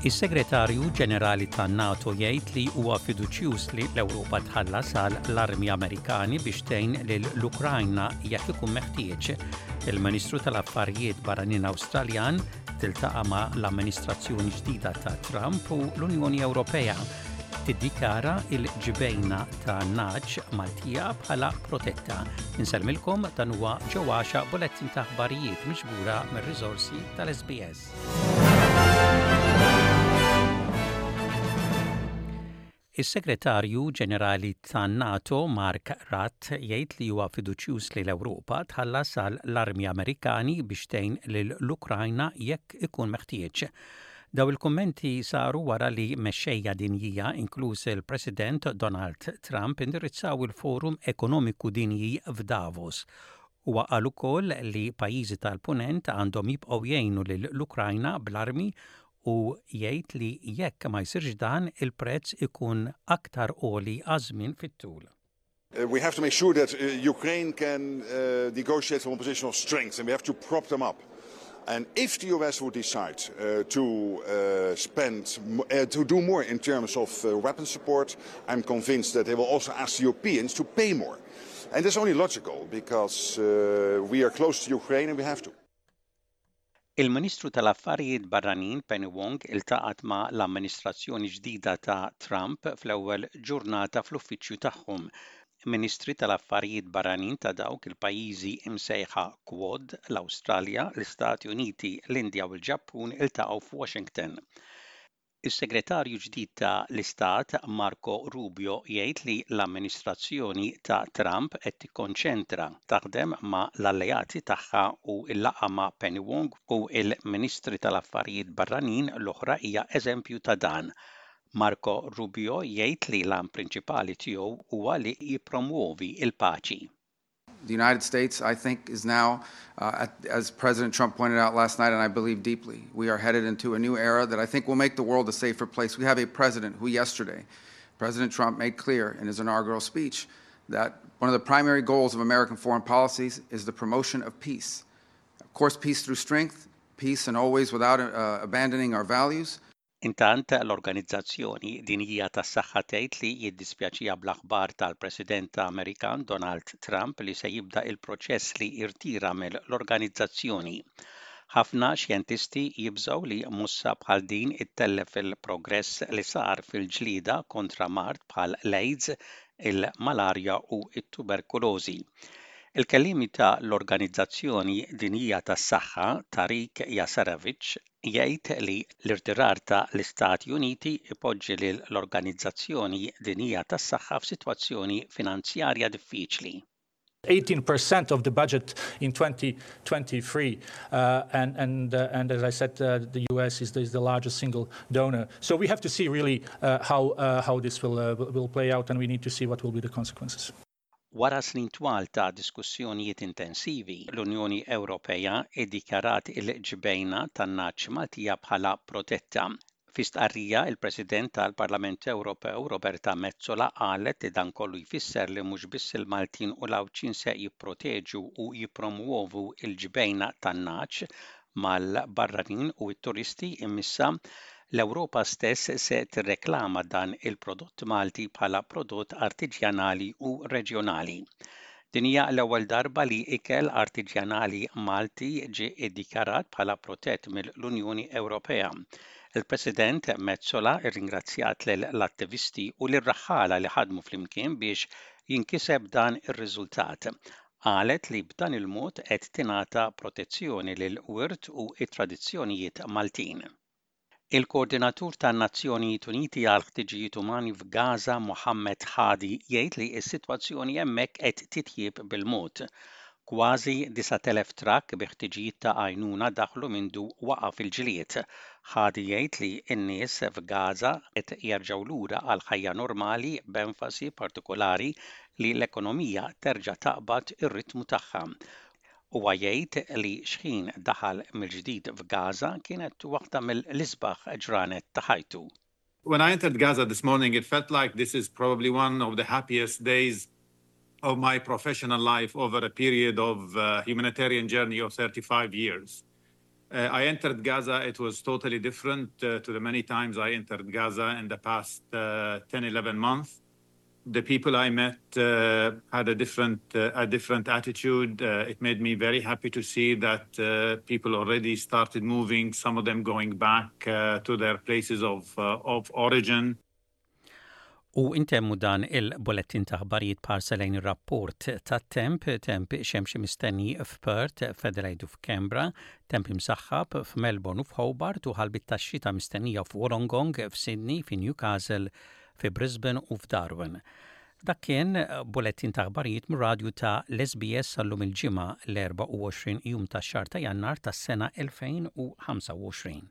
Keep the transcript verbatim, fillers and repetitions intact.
Is-Segretarju Ġenerali tan-NATO jgħid li huwa fiduċjuż li l-Ewropa tħallas għal l-armi Amerikani biex tgħin lill-Ukrajna jekk ikun meħtieġ. Il-Ministru tal-Affarijiet Barranin Awstraljan tiltaqa' ma' l-amministrazzjoni ġdida ta' Trump u l-Unjoni Ewropea tiddikjara il-ġbejna ta' nagħaġ Maltija bħala protetta. Insellmilkom dan huwa ġewwaxa bulettin ta' aħbarijiet miġbura mir-riżorsi tal-SBS. Is-Segretarju Ġenerali tan-NATO Mark Rutte jgħid li huwa fiduċjuż li l-Ewropa tħallas għal l-armi Amerikani biex tgħin lill-Ukrajna jekk ikun meħtieġ. Daw il-kummenti saru wara li mexxejja dinjija inkluż il-President Donald Trump indirizzaw il-Forum Ekonomiku Dinji f'Davos. Huwa qal ukoll li pajjiżi tal-Punent għandhom jibqgħu jgħinu lill-Ukrajna bl-armi u jgħid li jekk ma jsirx dan il-prezz ikun aktar għoli għaż-żmien fit-tul. Uh, we have to make sure that uh, Ukraine can uh, negotiate from a position of strength and we have to prop them up. And if the US would decide uh, to uh, spend, uh, to do more in terms of uh, weapon support, I'm convinced that they will also ask the Europeans to pay more. And that's only logical because uh, we are close to Ukraine and we have to. Il-Ministru tal-Affarijiet Barranin Penny Wong iltaqat ma' l-amministrazzjoni ġdida ta' Trump fl-ewwel ġurnata fl-uffiċċju tagħhom. Ministri tal-Affarijiet Barranin ta' dawk il-pajjiżi imsejħa Quad, l-Awstralja, l-Istati Uniti, l-Indja u l-Ġappun iltaqgħu f'Washington. Is-Segretarju ġdid ta' l-Istat Marco Rubio jgħid li l-amministrazzjoni ta' Trump qed tikkonċentra taħdem ma' l-alleati tagħha u l-laqgħa ma' Penny Wong u l-Ministri tal-Affarijiet Barranin l-oħra hija eżempju ta' dan. Marco Rubio jgħid li l-għan prinċipali tiegħu huwa li jippromwovi l-paċi. The United States, I think, is now, uh, at, as President Trump pointed out last night, and I believe deeply, we are headed into a new era that I think will make the world a safer place. We have a president who yesterday, President Trump made clear in his inaugural speech that one of the primary goals of American foreign policies is the promotion of peace. Of course, peace through strength, peace and always without uh, abandoning our values. Intant l-Organizzazzjoni Dinjija tas-Saħħa tgħid li jiddispjaċiha bl-aħbar tal-President Amerikan Donald Trump li se jibda il-proċess li jirtira mill-organizzazzjoni. Ħafna xjentisti jibżgħu li mossa bħal din ittellef il-progress li sar fil-ġlieda kontra mard bħal l-AIDS, il-malarja u t-tuberkulożi. Il-kelliemi ta' l-Organizzazzjoni Dinjija tas-Saħħa Tarik Jasarevic jgħid li l-irtirar ta' l-Istati Uniti ipoġġi lil l-Organizzazzjoni Dinjija tas-Saħħa f'sitwazzjoni finanzjarja diffiċli. Eighteen percent of the budget in twenty twenty-three, uh, and, and, uh, and as I said, uh, the U S is the, is the largest single donor. So we have to see really, uh, how, uh, how this will, uh, will play out, and we need to see what will be the consequences. Wara snin twal ta' diskussjonijiet intensivi, l-Unjoni Ewropea iddikjarat il-ġbejna tan-nagħaġ Maltija bħala protetta. Fi stqarrija, il-President tal-Parlament Ewropew Roberta Metsola qalet li dan kollu jfisser li mhux biss il-Maltin u l-Għawdxin se jipproteġu u jippromuovu l-ġbejna tan-nagħaġ mal-barranin u t-turisti imissa l-Ewropa stess se tirreklama dan il-prodott Malti bħala prodott artiġjanali u reġjonali. Din hija l-ewwel darba li ikel artiġjanali Malti ġie iddikjarat bħala protett mill-Unjoni Ewropea. Il-President Metsola rringrazzjat lill-attivisti u lir-raħħala li ħadmu flimkien biex jinkiseb dan ir-riżultat. Qalet li b'dan il-mod qed tingħata protezzjoni lil wirt u t-tradizzjonijiet Maltin. Il-Koordinatur tan-Nazzjonijiet Uniti għal Ħtiġijiet Umani f'Gaza, Mohammed Hadi, jgħid li s-sitwazzjoni hemmhekk qed titjieb bil-mod. Kważi disat elef trakk bi ħtiġijiet ta' għajnuna daħlu mindu waqaf il-ġlied. Hadi jgħid li n-nies f'Gaza qed jerġgħu lura għal ħajja normali b'enfasi partikolari li l-ekonomija terġa' taqbad ir-ritmu tagħha. Huwa jgħid li xħin daħal mill-ġdid f'Gaza kienet waħda mill-isbaħ ġranet ta' ħajtu. When I entered Gaza this morning, it felt like this is probably one of the happiest days of my professional life over a period of, uh, humanitarian journey of thirty-five years. Uh, I entered Gaza, it was totally different uh, to the many times I entered Gaza in the past uh, ten, eleven months. The people I met uh, had a different, uh, a different attitude. Uh, it made me very happy to see that uh, people already started moving, some of them going back uh, to their places of, uh, of origin. U intemmu dan il-bullettin ta' aħbarijiet b'ħarsa lejn ir-rapport tat-temp, temp xemxi mistenni f'Perth, f'Adelaide u f'Canberra, temp imsaħħab f'Melbourne u f'Hobart u ħalbiet tax-xita mistennija f'Wollongong, f'Sydney, f'Newcastle, fi Brisbane u f'Darwin. Dak kien bullettin ta' aħbarijiet mir-radju ta' l-S B S għal-lum il-Ġimgħa l-erbgħa u għoxrin jum tax-xahar ta' Jannar tas-sena elfejn u ħamsa u għoxrin.